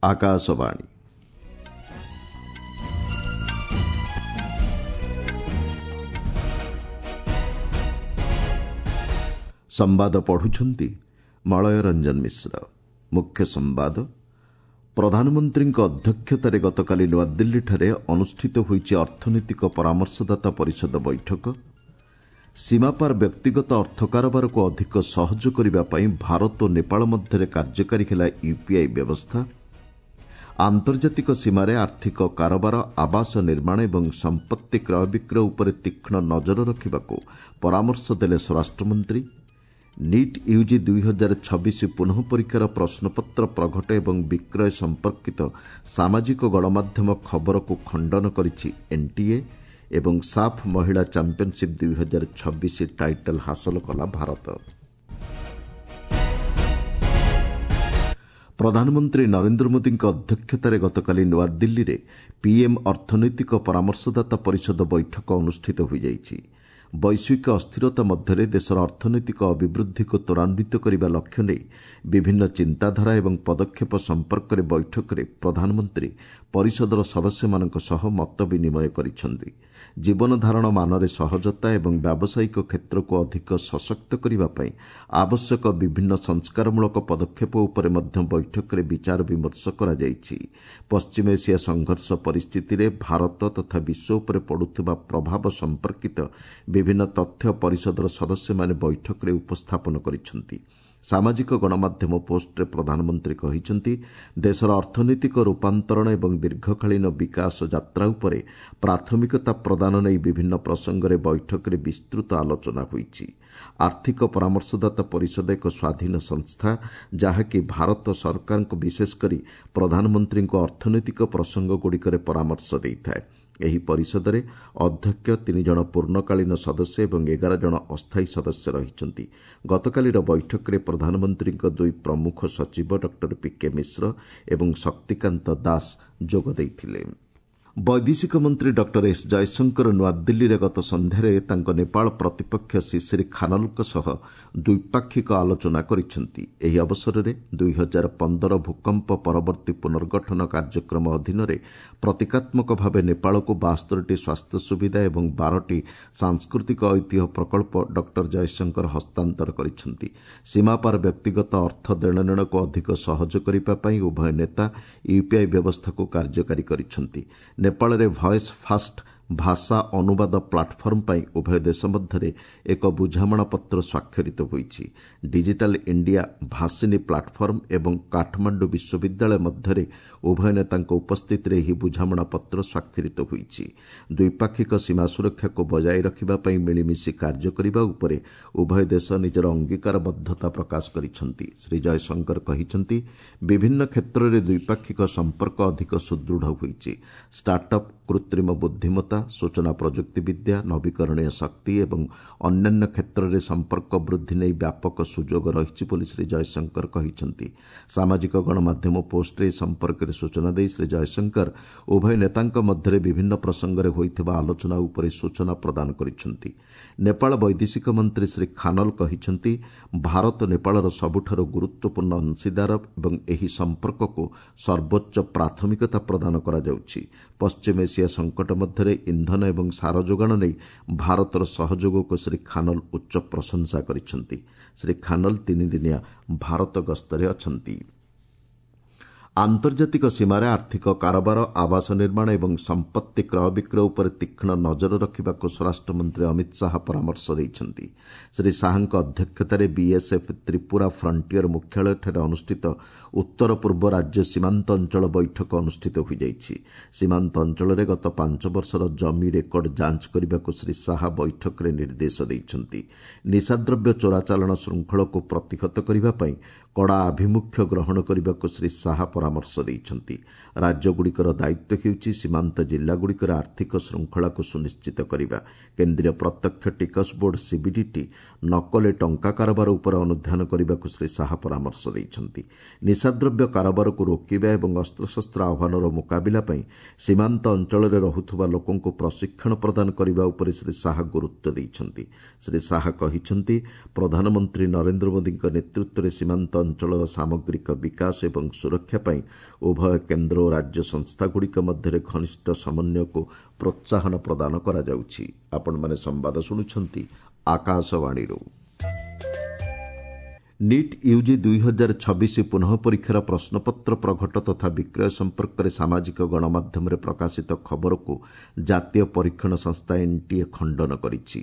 ଆକାଶବାଣୀ। ସମ୍ବାଦ ପଢୁଛନ୍ତି ମଳୟ ରଞ୍ଜନ ମିଶ୍ର। ମୁଖ୍ୟ ସମ୍ବାଦ। ପ୍ରଧାନମନ୍ତ୍ରୀଙ୍କ ଅଧ୍ୟକ୍ଷତାରେ ଗତକାଲି ନୂଆଦିଲ୍ଲୀଠାରେ ଅନୁଷ୍ଠିତ ହୋଇଛି ଅର୍ଥନୈତିକ ପରାମର୍ଶଦାତା ପରିଷଦ ବୈଠକ। ସୀମାପାର ବ୍ୟକ୍ତିଗତ ଅର୍ଥ କାରବାରକୁ ଅଧିକ ସହଜ କରିବା ପାଇଁ ଭାରତ ଓ ନେପାଳ ମଧ୍ୟରେ କାର୍ଯ୍ୟକାରୀ ହେଲା ୟୁପିଆଇ ବ୍ୟବସ୍ଥା। ଆନ୍ତର୍ଜାତିକ ସୀମାରେ ଆର୍ଥିକ କାରବାର, ଆବାସ ନିର୍ମାଣ ଏବଂ ସମ୍ପତ୍ତି କ୍ରୟ ବିକ୍ରୟ ଉପରେ ତୀକ୍ଷ୍ଣ ନଜର ରଖିବାକୁ ପରାମର୍ଶ ଦେଲେ ସ୍ୱରାଷ୍ଟ୍ରମନ୍ତ୍ରୀ। ନିଟ୍ ୟୁଜି 2026 ପୁନଃ ପରୀକ୍ଷାର ପ୍ରଶ୍ନପତ୍ର ପ୍ରଘଟ ଏବଂ ବିକ୍ରୟ ସମ୍ପର୍କିତ ସାମାଜିକ ଗଣମାଧ୍ୟମ ଖବରକୁ ଖଣ୍ଡନ କରିଛି ଏନ୍ଟିଏ। ଏବଂ ସାଫ୍ ମହିଳା ଚାମ୍ପିୟନସିପ୍ 2026 ଟାଇଟଲ୍ ହାସଲ କଲା ଭାରତ। ପ୍ରଧାନମନ୍ତ୍ରୀ ନରେନ୍ଦ୍ର ମୋଦିଙ୍କ ଅଧ୍ୟକ୍ଷତାରେ ଗତକାଲି ନୂଆଦିଲ୍ଲୀରେ ପିଏମ୍ ଅର୍ଥନୈତିକ ପରାମର୍ଶଦାତା ପରିଷଦ ବୈଠକ ଅନୁଷ୍ଠିତ ହୋଇଯାଇଛି। ବୈଶ୍ୱିକ ଅସ୍ଥିରତା ମଧ୍ୟରେ ଦେଶର ଅର୍ଥନୈତିକ ଅଭିବୃଦ୍ଧିକୁ ତ୍ୱରାନ୍ୱିତ କରିବା ଲକ୍ଷ୍ୟ ନେଇ ବିଭିନ୍ନ ଚିନ୍ତାଧାରା ଏବଂ ପଦକ୍ଷେପ ସମ୍ପର୍କରେ ବୈଠକରେ ପ୍ରଧାନମନ୍ତ୍ରୀ ପରିଷଦର ସଦସ୍ୟମାନଙ୍କ ସହ ମତ ବିନିମୟ କରିଛନ୍ତି। ଜୀବନଧାରଣ ମାନରେ ସହଜତା ଏବଂ ବ୍ୟାବସାୟିକ କ୍ଷେତ୍ରକୁ ଅଧିକ ସଶକ୍ତ କରିବା ପାଇଁ ଆବଶ୍ୟକ ବିଭିନ୍ନ ସଂସ୍କାରମୂଳକ ପଦକ୍ଷେପ ଉପରେ ମଧ୍ୟ ବୈଠକରେ ବିଚାର ବିମର୍ଶ କରାଯାଇଛି। ପଶ୍ଚିମ ଏସିଆ ସଂଘର୍ଷ ପରିସ୍ଥିତିରେ ଭାରତ ତଥା ବିଶ୍ୱ ଉପରେ ପଡ଼ୁଥିବା ପ୍ରଭାବ ସମ୍ପର୍କିତ ବିଭିନ୍ନ ତଥ୍ୟ ପରିଷଦର ସଦସ୍ୟମାନେ ବୈଠକରେ ଉପସ୍ଥାପନ କରିଛନ୍ତି। ସାମାଜିକ ଗଣମାଧ୍ୟମ ପୋଷ୍ଟରେ ପ୍ରଧାନମନ୍ତ୍ରୀ କହିଛନ୍ତି, ଦେଶର ଅର୍ଥନୈତିକ ରୂପାନ୍ତରଣ ଏବଂ ଦୀର୍ଘକାଳୀନ ବିକାଶ ଯାତ୍ରା ଉପରେ ପ୍ରାଥମିକତା ପ୍ରଦାନ ନେଇ ବିଭିନ୍ନ ପ୍ରସଙ୍ଗରେ ବୈଠକରେ ବିସ୍ତୃତ ଆଲୋଚନା ହୋଇଛି। ଆର୍ଥିକ ପରାମର୍ଶଦାତା ପରିଷଦ ଏକ ସ୍ୱାଧୀନ ସଂସ୍ଥା, ଯାହାକି ଭାରତ ସରକାରଙ୍କୁ, ବିଶେଷ କରି ପ୍ରଧାନମନ୍ତ୍ରୀଙ୍କୁ ଅର୍ଥନୈତିକ ପ୍ରସଙ୍ଗଗୁଡ଼ିକରେ ପରାମର୍ଶ ଦେଇଥାଏ। ଏହି ପରିଷଦରେ ଅଧ୍ୟକ୍ଷ, 3 ଜଣ ପୂର୍ଣ୍ଣକାଳୀନ ସଦସ୍ୟ ଏବଂ 11 ଜଣ ଅସ୍ଥାୟୀ ସଦସ୍ୟ ରହିଛନ୍ତି। ଗତକାଲିର ବୈଠକରେ ପ୍ରଧାନମନ୍ତ୍ରୀଙ୍କ ଦୁଇ ପ୍ରମୁଖ ସଚିବ ଡକ୍ଟର ପିକେ ମିଶ୍ର ଏବଂ ଶକ୍ତିକାନ୍ତ ଦାସ ଯୋଗ ଦେଇଥିଲେ। ବୈଦେଶିକ ମନ୍ତ୍ରୀ ଡକ୍ଟର ଏସ୍ ଜୟଶଙ୍କର ନୂଆଦିଲ୍ଲୀରେ ଗତ ସନ୍ଧ୍ୟାରେ ତାଙ୍କ ନେପାଳ ପ୍ରତିପକ୍ଷ ଶିଶିର ଖାନଲଙ୍କ ସହ ଦ୍ୱିପାକ୍ଷିକ ଆଲୋଚନା କରିଛନ୍ତି। ଏହି ଅବସରରେ 2015 ଭୂକମ୍ପ ପରବର୍ତ୍ତୀ ପୁନର୍ଗଠନ କାର୍ଯ୍ୟକ୍ରମ ଅଧୀନରେ ପ୍ରତୀକାତ୍ମକ ଭାବେ ନେପାଳକୁ 72ଟି ସ୍ୱାସ୍ଥ୍ୟ ସୁବିଧା ଏବଂ 12ଟି ସାଂସ୍କୃତିକ ଐତିହ୍ୟ ପ୍ରକଳ୍ପ ଡକ୍ଟର ଜୟଶଙ୍କର ହସ୍ତାନ୍ତର କରିଛନ୍ତି। ସୀମାପାର ବ୍ୟକ୍ତିଗତ ଅର୍ଥ ଦେଣନେଣକୁ ଅଧିକ ସହଜ କରିବା ପାଇଁ ଉଭୟ ନେତା ୟୁପିଆଇ ବ୍ୟବସ୍ଥାକୁ କାର୍ଯ୍ୟକାରୀ କରିଛନ୍ତି। ନେପାଳରେ ଭଏସ୍ ଫାଷ୍ଟ ଭାଷା ଅନୁବାଦ ପ୍ଲାଟଫର୍ମ ପାଇଁ ଉଭୟ ଦେଶ ମଧ୍ୟରେ ଏକ ବୁଝାମଣାପତ୍ର ସ୍ୱାକ୍ଷରିତ ହୋଇଛି। ଡିଜିଟାଲ ଇଣ୍ଡିଆ ଭାଷିନୀ ପ୍ଲାଟଫର୍ମ ଏବଂ କାଠମାଣ୍ଡୁ ବିଶ୍ୱବିଦ୍ୟାଳୟ ମଧ୍ୟରେ ଉଭୟ ନେତାଙ୍କ ଉପସ୍ଥିତିରେ ଏହି ବୁଝାମଣାପତ୍ର ସ୍ୱାକ୍ଷରିତ ହୋଇଛି। ଦ୍ୱିପାକ୍ଷିକ ସୀମା ସୁରକ୍ଷାକୁ ବଜାୟ ରଖିବା ପାଇଁ ମିଳିମିଶି କାର୍ଯ୍ୟ କରିବା ଉପରେ ଉଭୟ ଦେଶ ନିଜର ଅଙ୍ଗୀକାରବଦ୍ଧତା ପ୍ରକାଶ କରିଛନ୍ତି। ଶ୍ରୀ ଜୟଶଙ୍କର କହିଛନ୍ତି, ବିଭିନ୍ନ କ୍ଷେତ୍ରରେ ଦ୍ୱିପାକ୍ଷିକ ସମ୍ପର୍କ ଅଧିକ ସୁଦୃଢ଼ ହୋଇଛି। ଷ୍ଟାର୍ଟଅପ୍, କୃତ୍ରିମ ବୁଦ୍ଧିମତ୍ତା, ସୂଚନା ପ୍ରଯୁକ୍ତିବିଦ୍ୟା, ନବୀକରଣୀୟ ଶକ୍ତି ଏବଂ ଅନ୍ୟାନ୍ୟ କ୍ଷେତ୍ରରେ ସମ୍ପର୍କ ବୃଦ୍ଧି ନେଇ ବ୍ୟାପକ ସୁଯୋଗ ରହିଛି ବୋଲି ଶ୍ରୀ ଜୟଶଙ୍କର କହିଛନ୍ତି। ସାମାଜିକ ଗଣମାଧ୍ୟମ ପୋଷ୍ଟରେ ଏ ସମ୍ପର୍କରେ ସୂଚନା ଦେଇ ଶ୍ରୀ ଜୟଶଙ୍କର ଉଭୟ ନେତାଙ୍କ ମଧ୍ୟରେ ବିଭିନ୍ନ ପ୍ରସଙ୍ଗରେ ହୋଇଥିବା ଆଲୋଚନା ଉପରେ ସୂଚନା ପ୍ରଦାନ କରିଛନ୍ତି। ନେପାଳ ବୈଦେଶିକ ମନ୍ତ୍ରୀ ଶ୍ରୀ ଖାନଲ କହିଛନ୍ତି, ଭାରତ ନେପାଳର ସବୁଠାରୁ ଗୁରୁତ୍ୱପୂର୍ଣ୍ଣ ଅଂଶୀଦାର ଏବଂ ଏହି ସମ୍ପର୍କକୁ ସର୍ବୋଚ୍ଚ ପ୍ରାଥମିକତା ପ୍ରଦାନ କରାଯାଉଛି। ପଶ୍ଚିମ ଏସିଆ ସଙ୍କଟ ମଧ୍ୟରେ ଇନ୍ଧନ ଏବଂ ସାର ଯୋଗାଣ ନେଇ ଭାରତର ସହଯୋଗକୁ ଶ୍ରୀ ଖାନଲ ଉଚ୍ଚ ପ୍ରଶଂସା କରିଛନ୍ତି। ଶ୍ରୀ ଖାନଲ 3 ଦିନିଆ ଭାରତ ଗସ୍ତରେ ଅଛନ୍ତି। ଆନ୍ତର୍ଜାତିକ ସୀମାରେ ଆର୍ଥିକ କାରବାର, ଆବାସ ନିର୍ମାଣ ଏବଂ ସମ୍ପତ୍ତି କ୍ରୟ ବିକ୍ରୟ ଉପରେ ତୀକ୍ଷ୍ଣ ନଜର ରଖିବାକୁ ସ୍ୱରାଷ୍ଟ୍ରମନ୍ତ୍ରୀ ଅମିତ ଶାହା ପରାମର୍ଶ ଦେଇଛନ୍ତି। ଶ୍ରୀ ଶାହାଙ୍କ ଅଧ୍ୟକ୍ଷତାରେ ବିଏସ୍ଏଫ୍ ତ୍ରିପୁରା ଫ୍ରଣ୍ଟିୟର ମୁଖ୍ୟାଳୟଠାରେ ଅନୁଷ୍ଠିତ ଉତ୍ତର ପୂର୍ବ ରାଜ୍ୟ ସୀମାନ୍ତ ଅଞ୍ଚଳ ବୈଠକ ଅନୁଷ୍ଠିତ ହୋଇଯାଇଛି। ସୀମାନ୍ତ ଅଞ୍ଚଳରେ ଗତ 5 ବର୍ଷର ଜମି ରେକର୍ଡ ଯାଞ୍ଚ କରିବାକୁ ଶ୍ରୀ ଶାହା ବୈଠକରେ ନିର୍ଦ୍ଦେଶ ଦେଇଛନ୍ତି। ନିଶାଦ୍ରବ୍ୟ ଚୋରାଚାଲାଣ ଶୃଙ୍ଖଳକୁ ପ୍ରତିହତ କରିବା ପାଇଁ କଡ଼ା ଆଭିମୁଖ୍ୟ ଗ୍ରହଣ କରିବାକୁ ଶ୍ରୀ ଶାହା ପରାମର୍ଶ ଦେଇଛନ୍ତି। ରାଜ୍ୟଗୁଡ଼ିକର ଦାୟିତ୍ୱ ହେଉଛି ସୀମାନ୍ତ ଜିଲ୍ଲାଗୁଡ଼ିକରେ ଆର୍ଥିକ ଶୃଙ୍ଖଳାକୁ ସୁନିଶ୍ଚିତ କରିବା। କେନ୍ଦ୍ରୀୟ ପ୍ରତ୍ୟକ୍ଷ ଟିକସ ବୋର୍ଡ ସିବିଡିଟି ନକଲି ଟଙ୍କା କାରବାର ଉପରେ ଅନୁଧ୍ୟାନ କରିବାକୁ ଶ୍ରୀ ଶାହା ପରାମର୍ଶ ଦେଇଛନ୍ତି। ନିଶାଦ୍ରବ୍ୟ କାରବାରକୁ ରୋକିବା ଏବଂ ଅସ୍ତ୍ରଶସ୍ତ୍ର ଆହ୍ୱାନର ମୁକାବିଲା ପାଇଁ ସୀମାନ୍ତ ଅଞ୍ଚଳରେ ରହୁଥିବା ଲୋକଙ୍କୁ ପ୍ରଶିକ୍ଷଣ ପ୍ରଦାନ କରିବା ଉପରେ ଶ୍ରୀ ଶାହା ଗୁରୁତ୍ୱ ଦେଇଛନ୍ତି। ଶ୍ରୀ ଶାହା କହିଛନ୍ତି, ପ୍ରଧାନମନ୍ତ୍ରୀ ନରେନ୍ଦ୍ର ମୋଦିଙ୍କ ନେତୃତ୍ୱରେ ସୀମାନ୍ତ ଅଞ୍ଚଳର ସାମଗ୍ରିକ ବିକାଶ ଏବଂ ସୁରକ୍ଷା ପାଇଁ ଉଭୟ କେନ୍ଦ୍ର ଓ ରାଜ୍ୟ ସଂସ୍ଥାଗୁଡ଼ିକ ମଧ୍ୟରେ ଘନିଷ୍ଠ ସମନ୍ୱୟକୁ ପ୍ରୋତ୍ସାହନ ପ୍ରଦାନ କରାଯାଉଛି। ଆପଣମାନେ ସମ୍ବାଦ ଶୁଣୁଛନ୍ତି ଆକାଶବାଣୀରୁ। ନିଟ୍ ୟୁଜି 2026 ପୁନଃ ପରୀକ୍ଷାର ପ୍ରଶ୍ନପତ୍ର ପ୍ରଘଟ ତଥା ବିକ୍ରୟ ସମ୍ପର୍କରେ ସାମାଜିକ ଗଣମାଧ୍ୟମରେ ପ୍ରକାଶିତ ଖବରକୁ ଜାତୀୟ ପରୀକ୍ଷଣ ସଂସ୍ଥା ଏନ୍ଟିଏ ଖଣ୍ଡନ କରିଛି।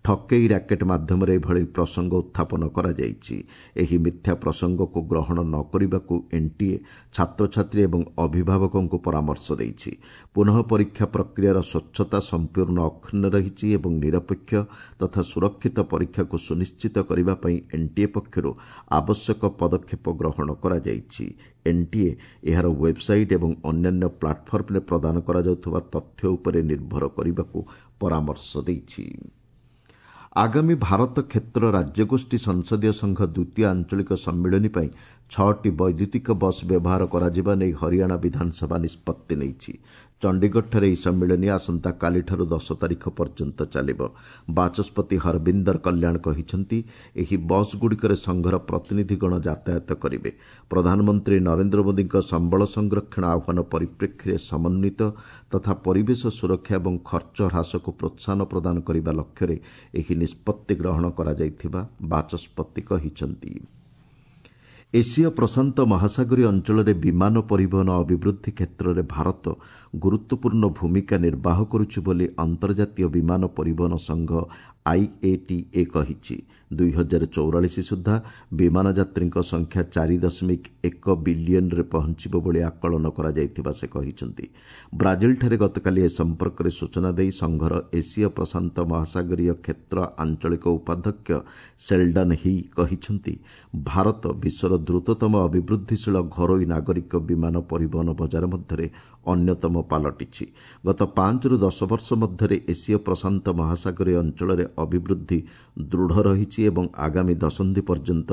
ଠକେଇ ର୍ୟାକେଟ୍ ମାଧ୍ୟମରେ ଏଭଳି ପ୍ରସଙ୍ଗ ଉତ୍ଥାପନ କରାଯାଇଛି। ଏହି ମିଥ୍ୟା ପ୍ରସଙ୍ଗକୁ ଗ୍ରହଣ ନ କରିବାକୁ ଏନ୍ଟିଏ ଛାତ୍ରଛାତ୍ରୀ ଏବଂ ଅଭିଭାବକଙ୍କୁ ପରାମର୍ଶ ଦେଇଛି। ପୁନଃ ପରୀକ୍ଷା ପ୍ରକ୍ରିୟାର ସ୍ୱଚ୍ଛତା ସମ୍ପୂର୍ଣ୍ଣ ଅକ୍ଷୁଣ୍ଣ ରହିଛି ଏବଂ ନିରପେକ୍ଷ ତଥା ସୁରକ୍ଷିତ ପରୀକ୍ଷାକୁ ସୁନିଶ୍ଚିତ କରିବା ପାଇଁ ଏନ୍ଟିଏ ପକ୍ଷରୁ ଆବଶ୍ୟକ ପଦକ୍ଷେପ ଗ୍ରହଣ କରାଯାଇଛି। ଏନ୍ଟିଏ ଏହାର ୱେବ୍ସାଇଟ୍ ଏବଂ ଅନ୍ୟାନ୍ୟ ପ୍ଲାଟଫର୍ମରେ ପ୍ରଦାନ କରାଯାଉଥିବା ତଥ୍ୟ ଉପରେ ନିର୍ଭର କରିବାକୁ ପରାମର୍ଶ ଦେଇଛି। ଆଗାମୀ ଭାରତ କ୍ଷେତ୍ର ରାଜ୍ୟଗୋଷ୍ଠୀ ସଂସଦୀୟ ସଂଘ ଦ୍ୱିତୀୟ ଆଞ୍ଚଳିକ ସମ୍ମିଳନୀ ପାଇଁ 6ଟି ବୈଦ୍ୟୁତିକ ବସ୍ ବ୍ୟବହାର କରାଯିବା ନେଇ ହରିୟାଣା ବିଧାନସଭା ନିଷ୍ପତ୍ତି ନେଇଛି। ଚଣ୍ଡିଗଡ଼ଠାରେ ଏହି ସମ୍ମିଳନୀ ଆସନ୍ତାକାଲିଠାରୁ 10 ତାରିଖ ପର୍ଯ୍ୟନ୍ତ ଚାଲିବ। ବାଚସ୍ପତି ହରବିନ୍ଦର କଲ୍ୟାଣ କହିଛନ୍ତି, ଏହି ବସ୍ଗୁଡ଼ିକରେ ସଂଘର ପ୍ରତିନିଧିଗଣ ଯାତାୟାତ କରିବେ। ପ୍ରଧାନମନ୍ତ୍ରୀ ନରେନ୍ଦ୍ର ମୋଦିଙ୍କ ସମ୍ବଳ ସଂରକ୍ଷଣ ଆହ୍ୱାନ ପରିପ୍ରେକ୍ଷୀରେ ସମନ୍ୱିତ ତଥା ପରିବେଶ ସୁରକ୍ଷା ଏବଂ ଖର୍ଚ୍ଚ ହ୍ରାସକୁ ପ୍ରୋତ୍ସାହନ ପ୍ରଦାନ କରିବା ଲକ୍ଷ୍ୟରେ ଏହି ନିଷ୍ପତ୍ତି ଗ୍ରହଣ କରାଯାଇଥିବା ବାଚସ୍ପତି କହିଛନ୍ତି। ଏସୀୟ ପ୍ରଶାନ୍ତ ମହାସାଗରୀୟ ଅଞ୍ଚଳରେ ବିମାନ ପରିବହନ ଅଭିବୃଦ୍ଧି କ୍ଷେତ୍ରରେ ଭାରତ ଗୁରୁତ୍ୱପୂର୍ଣ୍ଣ ଭୂମିକା ନିର୍ବାହ କରୁଛି ବୋଲି ଅନ୍ତର୍ଜାତୀୟ ବିମାନ ପରିବହନ ସଂଘ ଆଇଏଟିଏ କହିଛି। 2044 ସୁଦ୍ଧା ବିମାନ ଯାତ୍ରୀଙ୍କ ସଂଖ୍ୟା 4.1 ବିଲିୟନରେ ପହଞ୍ଚିବ ବୋଲି ଆକଳନ କରାଯାଇଥିବା ସେ କହିଛନ୍ତି। ବ୍ରାଜିଲଠାରେ ଗତକାଲି ଏ ସମ୍ପର୍କରେ ସୂଚନା ଦେଇ ସଂଘର ଏସୀୟ ପ୍ରଶାନ୍ତ ମହାସାଗରୀୟ କ୍ଷେତ୍ର ଆଞ୍ଚଳିକ ଉପାଧ୍ୟକ୍ଷ ସେଲ୍ଡନ୍ ହି କହିଛନ୍ତି, ଭାରତ ବିଶ୍ୱର ଦ୍ରୁତତମ ଅଭିବୃଦ୍ଧିଶୀଳ ଘରୋଇ ନାଗରିକ ବିମାନ ପରିବହନ ବଜାର ମଧ୍ୟରେ ଅନ୍ୟତମ ପାଲଟିଛି। ଗତ 5ରୁ 10 ବର୍ଷ ମଧ୍ୟରେ ଏସୀୟ ପ୍ରଶାନ୍ତ ମହାସାଗରୀୟ ଅଞ୍ଚଳରେ ଅଭିବୃଦ୍ଧି ଦୃଢ଼ ରହିଛି ଏବଂ ଆଗାମୀ ଦଶନ୍ଧି ପର୍ଯ୍ୟନ୍ତ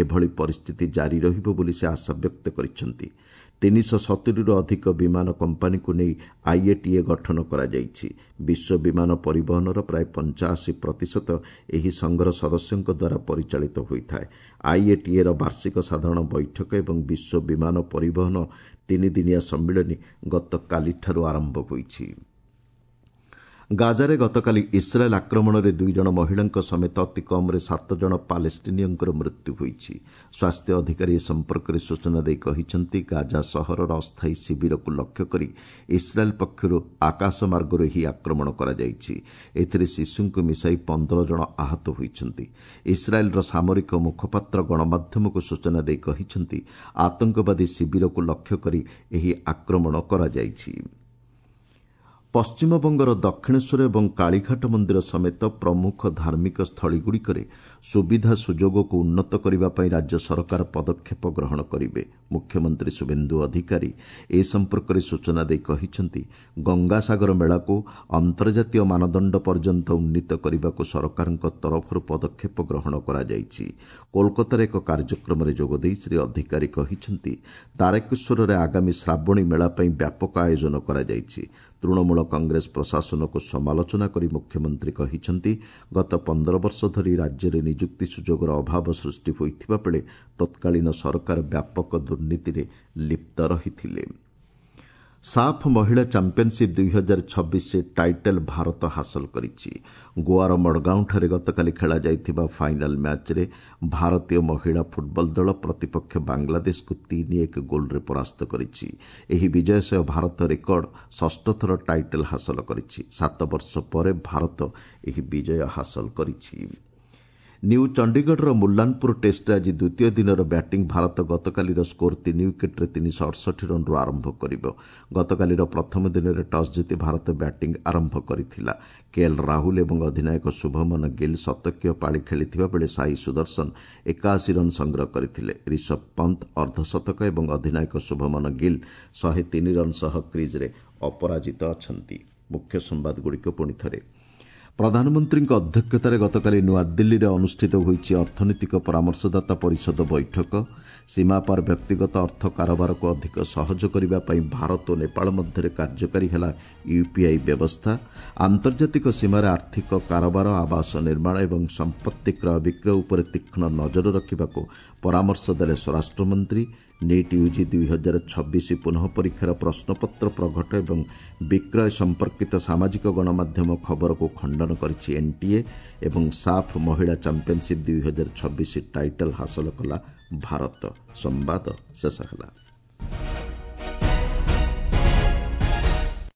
ଏଭଳି ପରିସ୍ଥିତି ଜାରି ରହିବ ବୋଲି ସେ ଆଶାବ୍ୟକ୍ତ କରିଛନ୍ତି। 370ରୁ ଅଧିକ ବିମାନ କମ୍ପାନୀକୁ ନେଇ ଆଇଏଟିଏ ଗଠନ କରାଯାଇଛି। ବିଶ୍ୱ ବିମାନ ପରିବହନର ପ୍ରାୟ 85% ଏହି ସଂଘର ସଦସ୍ୟଙ୍କ ଦ୍ୱାରା ପରିଚାଳିତ ହୋଇଥାଏ। ଆଇଏଟିଏର ବାର୍ଷିକ ସାଧାରଣ ବୈଠକ ଏବଂ ବିଶ୍ୱ ବିମାନ ପରିବହନ 3 ଦିନିଆ ସମ୍ମିଳନୀ ଗତକାଲିଠାରୁ ଆରମ୍ଭ ହୋଇଛି। ଗାଜାରେ ଗତକାଲି ଇସ୍ରାଏଲ୍ ଆକ୍ରମଣରେ 2 ଜଣ ମହିଳାଙ୍କ ସମେତ ଅତି କମ୍ରେ 7 ଜଣ ପାଲେଷ୍ଟିନୀୟଙ୍କର ମୃତ୍ୟୁ ହୋଇଛି। ସ୍ୱାସ୍ଥ୍ୟ ଅଧିକାରୀ ଏ ସମ୍ପର୍କରେ ସୂଚନା ଦେଇ କହିଛନ୍ତି, ଗାଜା ସହରର ଅସ୍ଥାୟୀ ଶିବିରକୁ ଲକ୍ଷ୍ୟ କରି ଇସ୍ରାଏଲ୍ ପକ୍ଷରୁ ଆକାଶମାର୍ଗରୁ ଏହି ଆକ୍ରମଣ କରାଯାଇଛି। ଏଥିରେ ଶିଶୁଙ୍କୁ ମିଶାଇ 15 ଜଣ ଆହତ ହୋଇଛନ୍ତି। ଇସ୍ରାଏଲ୍ର ସାମରିକ ମୁଖପାତ୍ର ଗଣମାଧ୍ୟମକୁ ସୂଚନା ଦେଇ କହିଛନ୍ତି, ଆତଙ୍କବାଦୀ ଶିବିରକୁ ଲକ୍ଷ୍ୟ କରି ଏହି ଆକ୍ରମଣ କରାଯାଇଛି। ପଶ୍ଚିମବଙ୍ଗର ଦକ୍ଷିଣେଶ୍ୱର ଏବଂ କାଳୀଘାଟ ମନ୍ଦିର ସମେତ ପ୍ରମୁଖ ଧାର୍ମିକ ସ୍ଥଳୀଗୁଡ଼ିକରେ ସୁବିଧା ସୁଯୋଗକୁ ଉନ୍ନତ କରିବା ପାଇଁ ରାଜ୍ୟ ସରକାର ପଦକ୍ଷେପ ଗ୍ରହଣ କରିବେ। ମୁଖ୍ୟମନ୍ତ୍ରୀ ଶୁଭେନ୍ଦୁ ଅଧିକାରୀ ଏ ସମ୍ପର୍କରେ ସୂଚନା ଦେଇ କହିଛନ୍ତି, ଗଙ୍ଗାସାଗର ମେଳାକୁ ଅନ୍ତର୍ଜାତୀୟ ମାନଦଣ୍ଡ ପର୍ଯ୍ୟନ୍ତ ଉନ୍ନୀତ କରିବାକୁ ସରକାରଙ୍କ ତରଫରୁ ପଦକ୍ଷେପ ଗ୍ରହଣ କରାଯାଇଛି। କୋଲକାତାରେ ଏକ କାର୍ଯ୍ୟକ୍ରମରେ ଯୋଗଦେଇ ଶ୍ରୀ ଅଧିକାରୀ କହିଛନ୍ତି, ତାରକେଶ୍ୱରରେ ଆଗାମୀ ଶ୍ରାବଣୀ ମେଳା ପାଇଁ ବ୍ୟାପକ ଆୟୋଜନ କରାଯାଇଛି। ତୃଣମୂଳ କଂଗ୍ରେସ ପ୍ରଶାସନକୁ ସମାଲୋଚନା କରି ମୁଖ୍ୟମନ୍ତ୍ରୀ କହିଛନ୍ତି, ଗତ 15 ବର୍ଷ ଧରି ରାଜ୍ୟରେ ନିଯୁକ୍ତି ସୁଯୋଗର ଅଭାବ ସୃଷ୍ଟି ହୋଇଥିବା ବେଳେ ତତ୍କାଳୀନ ସରକାର ବ୍ୟାପକ ଦୁର୍ନୀତିରେ ଲିପ୍ତ ରହିଥିଲେ। ସାଫ୍ ମହିଳା ଚାମ୍ପିୟନସିପ୍ 2026 ଟାଇଟଲ୍ ଭାରତ ହାସଲ କରିଛି। ଗୋଆର ମଡଗାଓଁଠାରେ ଗତକାଲି ଖେଳାଯାଇଥିବା ଫାଇନାଲ୍ ମ୍ୟାଚ୍ରେ ଭାରତୀୟ ମହିଳା ଫୁଟବଲ ଦଳ ପ୍ରତିପକ୍ଷ ବାଂଲାଦେଶକୁ 3-1 ଗୋଲ୍ରେ ପରାସ୍ତ କରିଛି। ଏହି ବିଜୟ ସହ ଭାରତ ରେକର୍ଡ 6ଷ୍ଠ ଥର ଟାଇଟଲ୍ ହାସଲ କରିଛି। 7 ବର୍ଷ ପରେ ଭାରତ ଏହି ବିଜୟ ହାସଲ କରିଛି। ନ୍ୟୁ ଚଣ୍ଡିଗଡ଼ର ମୁଲ୍ଲାନପୁର ଟେଷ୍ଟରେ ଆଜି ଦ୍ୱିତୀୟ ଦିନର ବ୍ୟାଟିଂ ଭାରତ ଗତକାଲିର ସ୍କୋର 3 ୱିକେଟ୍ରେ 368 ରନ୍ରୁ ଆରମ୍ଭ କରିବ। ଗତକାଲିର ପ୍ରଥମ ଦିନରେ ଟସ୍ ଜିତି ଭାରତ ବ୍ୟାଟିଂ ଆରମ୍ଭ କରିଥିଲା। କେଏଲ୍ ରାହୁଲ ଏବଂ ଅଧିନାୟକ ଶୁଭମନ ଗିଲ୍ ଶତକୀୟ ପାଳି ଖେଳିଥିବା ବେଳେ ସାଇ ସୁଦର୍ଶନ 81 ରନ୍ ସଂଗ୍ରହ କରିଥିଲେ। ରିଷଭ ପନ୍ତ ଅର୍ଦ୍ଧଶତକ ଏବଂ ଅଧିନାୟକ ଶୁଭମନ ଗିଲ୍ 103 ରନ୍ ସହ କ୍ରିଜ୍ରେ ଅପରାଜିତ ଅଛନ୍ତି। ମୁଖ୍ୟ ସମ୍ବାଦଗୁଡ଼ିକ ପୁଣି ଥରେ। ପ୍ରଧାନମନ୍ତ୍ରୀଙ୍କ ଅଧ୍ୟକ୍ଷତାରେ ଗତକାଲି ନୂଆଦିଲ୍ଲୀରେ ଅନୁଷ୍ଠିତ ହୋଇଛି ଅର୍ଥନୈତିକ ପରାମର୍ଶଦାତା ପରିଷଦ ବୈଠକ। ସୀମାପାର ବ୍ୟକ୍ତିଗତ ଅର୍ଥ କାରବାରକୁ ଅଧିକ ସହଜ କରିବା ପାଇଁ ଭାରତ ଓ ନେପାଳ ମଧ୍ୟରେ କାର୍ଯ୍ୟକାରୀ ହେଲା ୟୁପିଆଇ ବ୍ୟବସ୍ଥା। ଆନ୍ତର୍ଜାତିକ ସୀମାରେ ଆର୍ଥିକ କାରବାର, ଆବାସ ନିର୍ମାଣ ଏବଂ ସମ୍ପତ୍ତି କ୍ରୟ ବିକ୍ରୟ ଉପରେ ତୀକ୍ଷ୍ଣ ନଜର ରଖିବାକୁ ପରାମର୍ଶ ଦେଲେ ସ୍ୱରାଷ୍ଟ୍ରମନ୍ତ୍ରୀ। ନିଟ୍ ୟୁଜି 2026 ପୁନଃ ପରୀକ୍ଷାର ପ୍ରଶ୍ନପତ୍ର ପ୍ରଘଟ ଏବଂ ବିକ୍ରୟ ସମ୍ପର୍କିତ ସାମାଜିକ ଗଣମାଧ୍ୟମ ଖବରକୁ ଖଣ୍ଡନ କରିଛି ଏନ୍ଟିଏ। ଏବଂ ସାଫ୍ ମହିଳା ଚାମ୍ପିୟନସିପ୍ 2026 ଟାଇଟଲ୍ ହାସଲ କଲା ଭାରତ। ସମ୍ବାଦ ଶେଷ ହେଲା।